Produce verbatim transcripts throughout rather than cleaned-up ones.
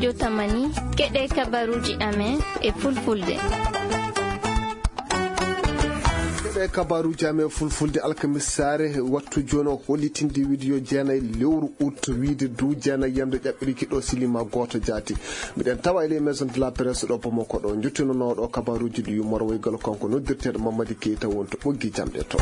Jotamani, keɗee kabaruuji amen e fulfulde. Keɗee kabaruuji amen e fulfulde alkamisaare, wattu jooni o hollitinde wiide yo jeenay lewru ut, wiide duu jeenay yande ƴaɓɓiriki ɗo silima gooto jaati. Miɗen tawa e ley maison de la presse ɗo Bamako ɗo. Njottinanooɗo kabaruuji ɗi yummorowaygal kanko noddirteeɗo Mamadi Keita woni to ɓoggi jamɗe to.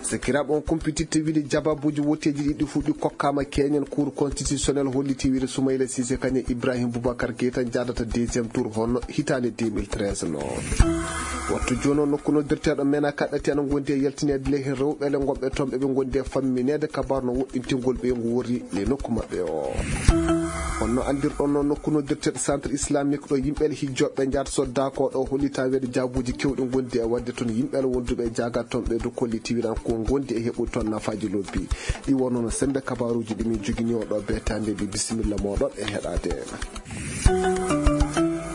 Sakiraaɓe, on kumpititte wiide jababuuji woteeji ɗiɗi fuu ɗi kokkaama keñen. Cour constitutionnel hollitii wiide Soumaïla Cissé kañum e Ibrahim Boubacar Keita njaadata deuxième tour hono hitaande deux mille treize non. Wattu jooni o nokku noddirteeɗo Mena kaɗɗati ana ngondi e yaltineede ley heen rewɓe le ngonɓe toon ɓe ɓe ngondi e fammineede kabaru no woɗɗintingol ɓeyngu worri ley nokku maɓɓe o. Honno anndirɗon noon nokku noddirteeɗo Centre Islamique ɗo yimɓe le hijjooɓe njaata soddaa ko ɗo hollitaa wiide jaabuuji keewɗi ngondi e waɗde toon yimɓe le wonduɓe e jaaga toon ɓe du kolliti wiiran ko ngondi e heɓude toon nafaaji lobbi. Ɗi wonno no semmbe kabaruuji ɗi min jogini o ɗo beetaande ɗi bisimilla mooɗon e heɗaade.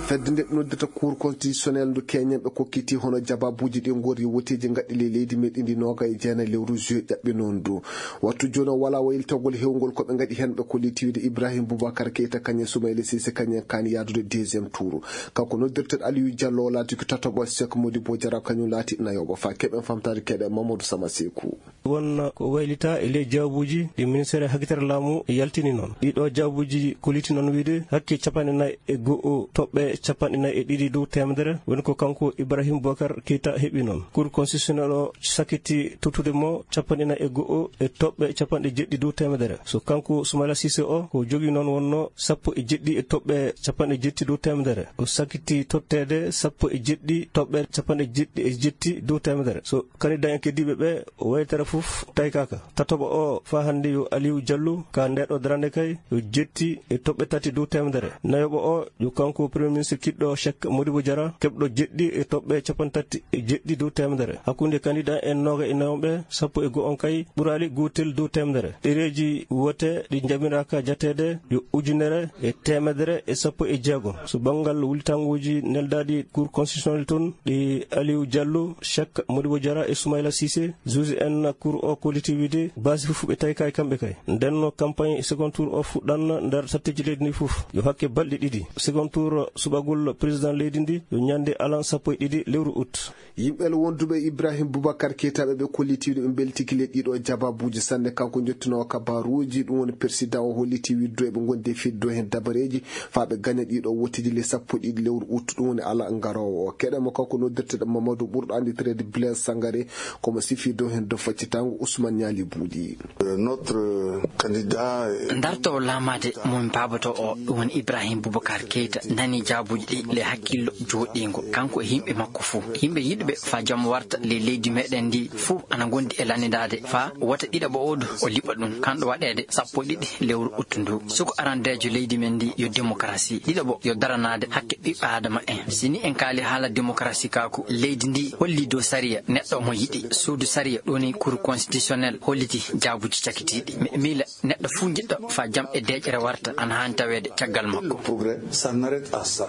Fedde nde ɓe noddirta Cour constitutionnel ndu keñen ɓe kokkiti hono jababuuji ɗi ngorri woteeji ngaɗɗi ley leydi meɗen ndi nooga e jeenayi lewru juillet ƴaɓɓi noon du. Wattu jooni o walaa waylitagol heewngol ko ɓe ngaɗi heen ɓe kolliti wiide Ibrahim Boubacar Keita kañum e Soumaïla Cissé kañum en kaani yaadude deuxième tour. Kanko noddirteeɗo Aliou Diallo o laati ko tataɓo Cheikh Modibo Diarra kañum laati nayoɓo fa keɓen famtaade keɗe Mamadou Sama Sekou. Won ko waylitaa e ley jaabuuji ɗi ministeer hakkitare laamu yaltini noon. Ɗii ɗoo jaabuuji kolliti noon wiide hakke capanɗe nayi e go'o toɓɓe capanɗe nayi e ɗiɗi dow teemedere woni ko kanko Ibrahim Boubacar Keita heɓi noon. Cour constitutionnel o sakkiti tottude mo capanɗe nayi e go'o e toɓɓe capanɗe jeɗɗi dow teemedere. So kanko Soumaïla Cissé o ko jogii noon wonnoo sappo e jeɗɗi e toɓɓe capanɗe jeɗɗi dow teemedere. O sakkiti totteede sappo e jeɗɗi toɓɓe capanɗe jeɗɗi e jeɗɗi dow teemedere. So Kandidaa en keddiiɓe ɓee, o waytara fof taykaaka. Tataɓo oo, faa hannde yo Aliou Diallo, ka ndee ɗoo darannde kay, yo jetti e toɓɓe tati dow teemedere. Nayoɓo oo, yo kanko Premier Ministre kiɗɗo Cheikh Modibo Diarra, keɓɗo jeɗɗi e toɓɓe capanɗe tati e jeɗɗi dow teemedere. Hakkunde kandidaa en nooga e nayo ɓee, sappo e go'o on kay, ɓuraali gootel dow teemedere. Ɗereeji wote ɗi njamiraaka jateede yo ujunere e teemedere e sappo e jeego. So banngal wullitannguuji neldaaɗi Cour constitutionnel toon, ɗi Aliou Diallo, Cheikh Modibo Diarra e Soumaïla Cissé, juge en Cour o kolliti wiide baasi fof ɓe tawi kay kamɓe kay. Ndennoo campagne second tour o fuɗɗan nder satteeji leydi ndii fof. Yo hakke balɗe ɗiɗi. Second tour suɓagol président leydi ndii yo ñannde alan sappo e ɗiɗi lewru août. Yimɓe le wonduɓe e Ibrahim Boubacar Keita ɓe ɓe kolliti wiide ɓe mbeltike ley ɗii ɗoo jababuuji sanne. Kanko njottinoowo kabaruuji, ɗum woni persidan o, holliti wiide du eɓe ngondi e fiddo heen dabareeji faa ɓe gaña ɗii ɗoo woteeji le sappo e ɗiɗi lewru août, ɗum woni alan garoowo o. Keɗen mo kanko noddirteeɗo Mamadou ɓurɗo annditireede Blaise Sangaré, ko mo sifii dow heen dow faccitaango Ousmane Niali Bouli. Notre candidat. Dartoowo laamaade mo min paabotoo o, ɗum woni Ibrahim Boubacar Keita, nanii jaabuuji ɗii ley hakkillo jooɗiingo, kanko e yimɓe makko fof. Yimɓe yiɗɓe faa jam warta ley leydi meɗen ndii fof ana ngondi e lanndidaade faa wota ɗiɗaɓo oo du o liɓa ɗum. Kanɗo waɗeede sappo e ɗiɗi lewru août nduu. Suka arandeejo leydi men ndii yo démocratie. Ɗiɗaɓo yo daranaade hakke ɓiɓɓe aadama en. Si ni en kaali haala démocratie kaaku, leydi ndii holli dow sariya neɗɗo mo yiɗi. Suudu sariya, ɗum woni Cour constitutionnel, holliti jaabuuji cakitiiɗi. Mi, miila neɗɗo fuu njiɗɗo faa jam e deeƴere warta, ana haani taweede caggal makko. Progrès, ça n'arrête à ça.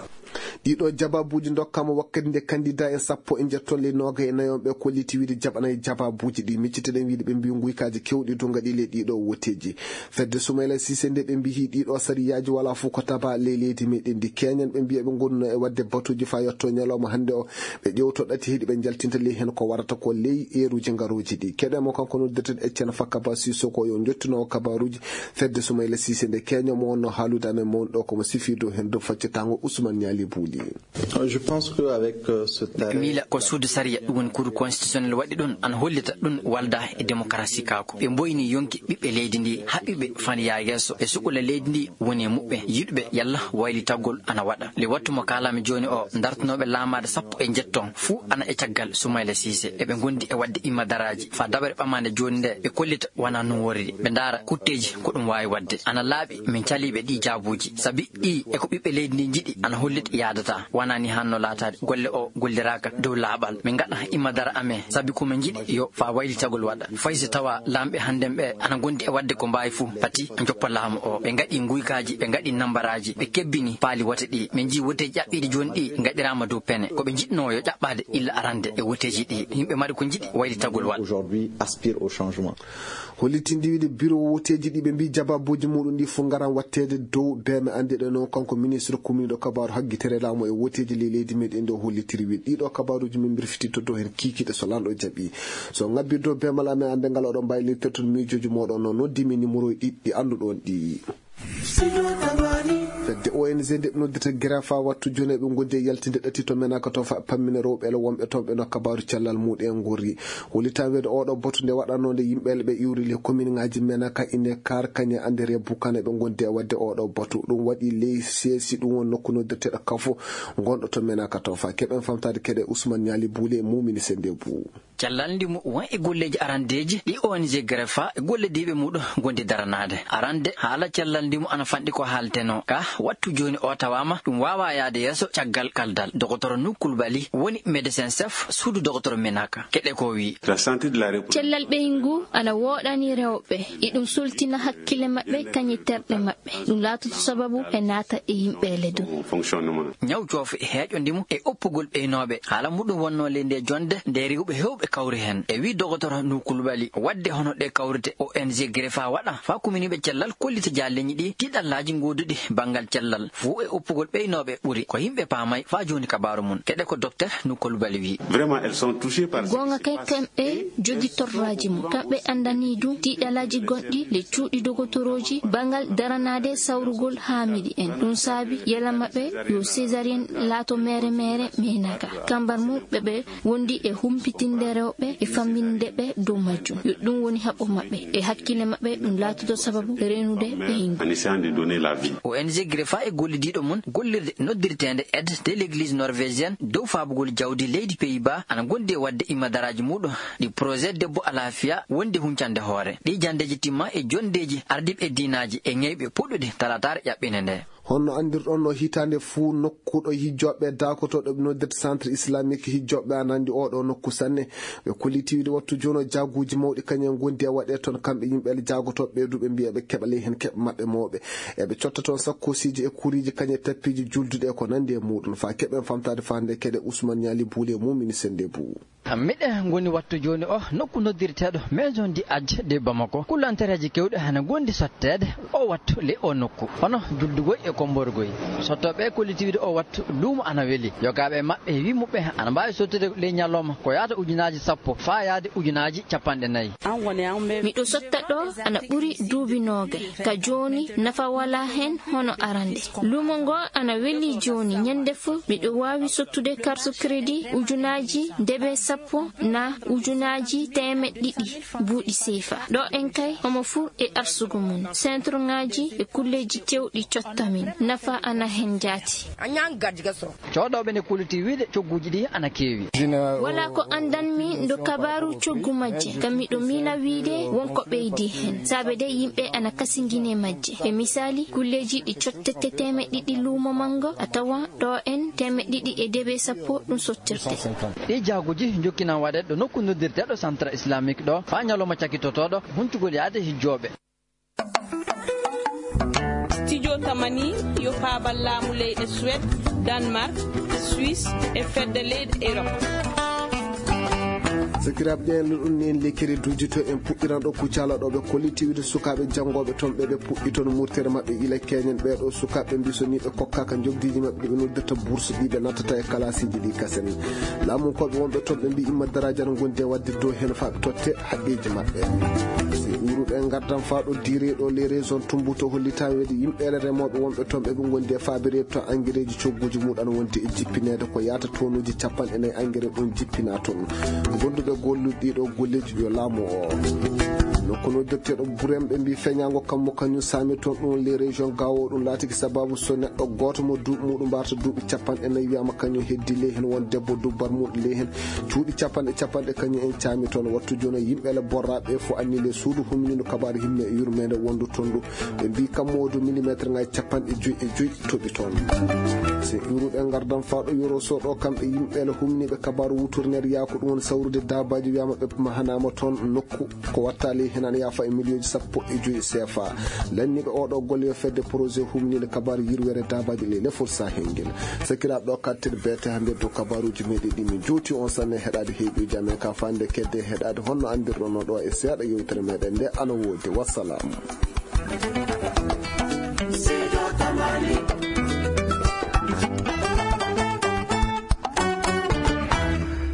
Ɗii ɗoo jababuuji ndokkaama wakkati nde kandidaa en sappo e njettoo ley noogayi e nayo ɓe kolliti wiide jaɓanay jababuuji ɗii. Miccitoɗen wiide ɓe mbii nguykaaji keewɗi du ngaɗii ley ɗii ɗoo woteeji. Fedde Soumaïla Cissé nde ɓe mbii ɗii ɗoo sariyaaji walaa fof ko tabaa ley leydi meɗen ndi. Keñen ɓe mbii eɓe ngonno e waɗde batuuji faa yottoo ñalawma hannde o. Ɓe ƴeewtoo ɗate heɗi ɓe njaltinta ley heen ko warata ko ley eeruuji ngarooji ɗii. Keɗen mo kanko noddirteeɗo Etienne Fakaba Sissoko, yo njottinoowo kabaruuji fedde Soumaïla Cissé nde keñen mo wonnoo haalude amen mawni ɗoo ko mo sifii dow heen dow faccitaango Ousmane Niali Bouli. Je pense que avec, euh, ce texte. Miila ko suudu sariya, ɗum woni Cour constitutionnel waɗi ɗum, ana hollita ɗum waldaa e démocratie kaaku. Ɓe mboyni yonki ɓiɓɓe leydi ndii, haɓɓi ɓe faa ndi yaha yeeso. Ɓe sukla leydi ndii woni e muɓɓen. Yiɗɓe yalla waylitagol ana waɗa. Le wattu mo kaalaami jooni o, dartanooɓe laamaade sappo e njettoo fuu ana e caggal Soumaïla Cissé. Eɓe ngondi e waɗde imma daraaji faa daɓere ɓamaande jooni nde ɓe kollita wanaa non worri. Ɓe ndaara kutteeji ko ɗum waawi waɗde. Ana laaɓi min caliiɓe ɗii jaabuuji. Sabi ɗii e ko ɓiɓɓe leydi ndii njiɗi ana hollita yaadataa. Wanaa nii haanno laataade. Golle oo golliraaka dow laaɓal. Min ngaɗa imma dara amen. Sabi ko min njiɗi yo faa waylitagol waɗa. Fay so tawaa laamɓe hannden ɓee ana ngondi e waɗde ko mbaawi fuu, pati njoppa laamu oo. Ɓe ngaɗii nguykaaji, ɓe ngaɗii nammbaraaji, ɓe kebbini paali wote ɗii. Min njii woteeji ƴaɓɓiiɗi jooni ɗii ngaɗiraama dow pene. Ko ɓe njiɗnoo yo ƴaɓɓaade illa arannde e woteeji ɗii. Yimɓe mari ko njiɗi waylitagol waɗa. Aujourd'hui aspire au changement. Hollitinɗi wiide biro woteeji ɗi ɓe mbii jabaabuuji muuɗum ɗi fof ngaran waɗteede dow beeme anndiɗe noon. Kanko ministre kumniiɗo kabaaru haggitere laamu e woteeji ley leydi meɗen ɗo hollitiri wiide ɗiɗo kabaaruuji min mbirfititto dow heen kiikiiɗe so lanɗo jaɓi. So ŋabbi dow beemal amen annde ngal oɗon mbaawi leltirtude miijooji mooɗon noon noddimi nimorooji ɗiɗi annduɗon ɗi. Fedde O N G nde ɓe noddirta Gerefa wattu jooni eɓe ngondi e yaltinde ɗati to Menaka to fa pammina rewɓe ele wonɓe toon ɓe no kabaaru cellal muɗum en ngorri. Hollitan weede oɗo batu nde waɗanoo nde yimɓe ele ɓe iwri le kominŋaaji Menaka ine Kaar kañe annde Rebukan eɓe ngondi e waɗde oɗo batu. Ɗum waɗi ley seesi ɗum won nokku noddirteeɗo Kafo ngonɗo to Menaka to fa keɓen famtaade keɗe Usman Ñaali Buule e Mumini Sennde Buu. Cellal ndimu won e golleeji arandeeji ɗi O N G Gerefa e gollodiiɓe muuɗum ngondi daranaade. Arande haala cellal ndimu ana fanɗi ko haaltenoo. Ka wattu jooni o tawaama ɗum waawaa yaade yeeso caggal kaldal. Dokotoro Nuh Kulbali woni medecin chef suudu dokotoro Menaka. Keɗe ko wii. Cellal ɓeyngu ana wooɗani rewɓe. Iɗum sultina hakkille maɓɓe kañe terɗe maɓɓe. Ɗum laatoto sababu ɓe naata e yimɓe ele dow. Ñaw coofe heeƴo ndimu e oppugol ɓeynooɓe. Haala muɗum wonnoo ley ndee jonnde nde rewɓe heewɓe kawri heen. E wii dokotoro Nuh Kulbali waɗde hono ɗee kawrite O N G Gerefa waɗa faa kuminiiɓe cellal kollita jaalleeñi ɗi tiiɗallaaji gooduɗi banngal cellal fuu e oppugol ɓeynooɓe ɓuri ko yimɓe paamay faa jooni kabaaru mum. Keɗe ko dokter Nuh Kulbali wii. Goonga kay kamɓe jogii torraaji mum. Kamɓe anndanii du tiiɗallaaji gonɗi ley cuuɗi dogotorooji banngal daranaade sawrugol haamiiɗi en. Ɗum saabi yela maɓɓe yo césarienne laato meere meere Menaka. Kambar mum ɓe ɓe wondi e humpitinde rewɓe e fammininde ɓe dow majjum. Yo ɗum woni haɓo maɓɓe e hakkille maɓɓe ɗum laatoto sababu reenude ɓeyngu. O N G Gerefa e gollidiiɗo mum gollirde noddirteende Aide de l'Église norvégienne dow faabugol jawdi leydi Pays-Bas ana ngondi e waɗde immadaraaji muuɗum ɗi projet debbo alaafiya wondi huncande hoore. Ɗii janndeeji timma e jonndeeji ardiiɓe diinaaji e ñayɓe puɗɗude talaataare ƴaɓɓinde ndee. Hono no anndirɗon no hitaande fuu nokku ɗo hijjooɓe daakotooɗo ɓe noddirta centre islamique hijjooɓe ana anndi oo ɗoo nokku sanne. Ɓe kolliti wiide wattu jooni o jaaguuji mawɗi kañum en ngondi e waɗee toon kamɓe yimɓe ele jaagotooɓe ɓee du ɓe mbiya ɓe keɓa ley heen keɓe maɓɓe mawɓe. Eɓe cotta toon sakkoosiiji e kuriiji kañum e tappiiji julduɗi e ko nanndi e muuɗum faa keɓen famtaade faande keɗe Usman Ñaali Buule e Mumini Sennde Buu. Miɗen ngoni wattu jooni o nokku noddirteeɗo Maison du Hadj de Bamako. Kullantereeji keewɗi hana ngondi sotteede o wattu ley o nokku, hono juldugol e kommborgol. Sottooɓe kolliti wiide o wattu luumo ana weli. Yogaaɓe maɓɓe e wii muɓɓe ana mbaawi sottude ley ñalawma ko yaata ujunaaji sappo faa yaade ujunaaji cappanɗe nayi. Miɗo sotta ɗo ana ɓuri duuɓi noogay. Ka jooni nafa walaa heen hono arande. Luumo ngo ana weli jooni. Ñande fof miɗo waawi sottude carte crédit ujunaaji debe sappo naa ujunaaji teemeɗɗe ɗiɗi buuɗi seefa. Ɗo en kay homo fuu e arsugo mum. Sentroŋaaji e kulleeji keewɗi cotta min. Nafa ana heen jaati. Cooɗooɓe ne kulitii wiide cogguuji ɗii ana keewi. Walaa ko anndanmi ndo kabaaru coggu majje, ka miɗo miila wiide won ko ɓeydii hen. Saabe de yimɓe ana kasingini e majje. E misaali, kulleeji ɗi cottete teemeɗɗe ɗiɗi luumo manngo, a tawa ɗo en teemeɗɗe ɗiɗi e debe sappo ɗum sottirte. Ɗii jaaguuji njokkinan waɗeede ɗo nokku noddirteeɗo Centre Islamique ɗo, faa ñalawma cakitotooɗo huncugol yaade hijjooɓe. Studio Tamani yo faabal laamu leyɗe Suwed, Danmark, Suisse e fedde leyɗe Erop. Sakiraaɓe, ƴeewen ɗum ni en lekkere duuji to en puɗɗiran ɗo Kucala ɗo ɓe kolliti wiide sukaaɓe janngooɓe toon ɓe ɓe puɗɗi toon murtere maɓɓe ila keñen. Ɓee ɗoo sukaaɓe mbii so ni ɓe kokkaaka njoɓdiiji maɓɓe ɗi ɓe noddirta bourse ɗi ɓe nattata e kalaasiiji ɗi kasen. Laamunkooɓe wonɓe toon ɓe mbii imma daraaji ana ngondi e waɗde dow heen faa ɓe totte haqqeeji maɓɓe. Si ɓuuruɗo en ngardan faa ɗo diire ɗo les raisons Tumbuto hollitaa weede yimɓeele remooɓe wonɓe toon ɓe ɓe ngondi e faabireede to angereeji cogguuji muɗum ana wondi e jippineede ko yaata tonuuji cappanɗe nayi angere ɗum jippinaa toon. Gonduɓe gollude ɗii ɗoo golleeji yo laamu o. Kono dotteeɗo burem ɓe mbii feñaango kammu kañum saami toon ɗum ley région Gao ɗum laatiki sababu so neɗɗo gooto mo duuɓi muɗum mbarta duuɓi capanɗe nayi wiyaama kañum heddi ley heen won debbo dubbar muɗum ley heen cuuɗi capanɗe capanɗe kañum en caami toon wattu jooni yimɓe le borraaɓe fof anni le suudu humnindo kabaar himme yurmeende wondu toon ɗum ɓe mbii kammu o du millimétre ngaji capanɗe joyi e joyi toɓi toon. So iwruɓe ngardan faa ɗo yoro so ɗo kamɓe yimɓe le humniiɓe kabaaru wuturneede yaako ɗum woni sawrude daabaaji wiyaama ɓe mahanaama toon nokku ko watta ley heen ana yaafa e miliyonji sappo e joyi seefa. Lanniiɓe oo ɗoo golle yo fedde projet humniinde kabaaru yirweere daabaaji ley lefol sahel ngel. Sakiraaɓe ɗoo kattir beete hannde dow kabaaruuji meɗen ɗi min jowti on sanne heɗaade heeɗuuji amen ka fande kedde heɗaade honno anndirɗon no ɗoo e seeɗa yewtere meɗen nde ana woodi wassalaamu.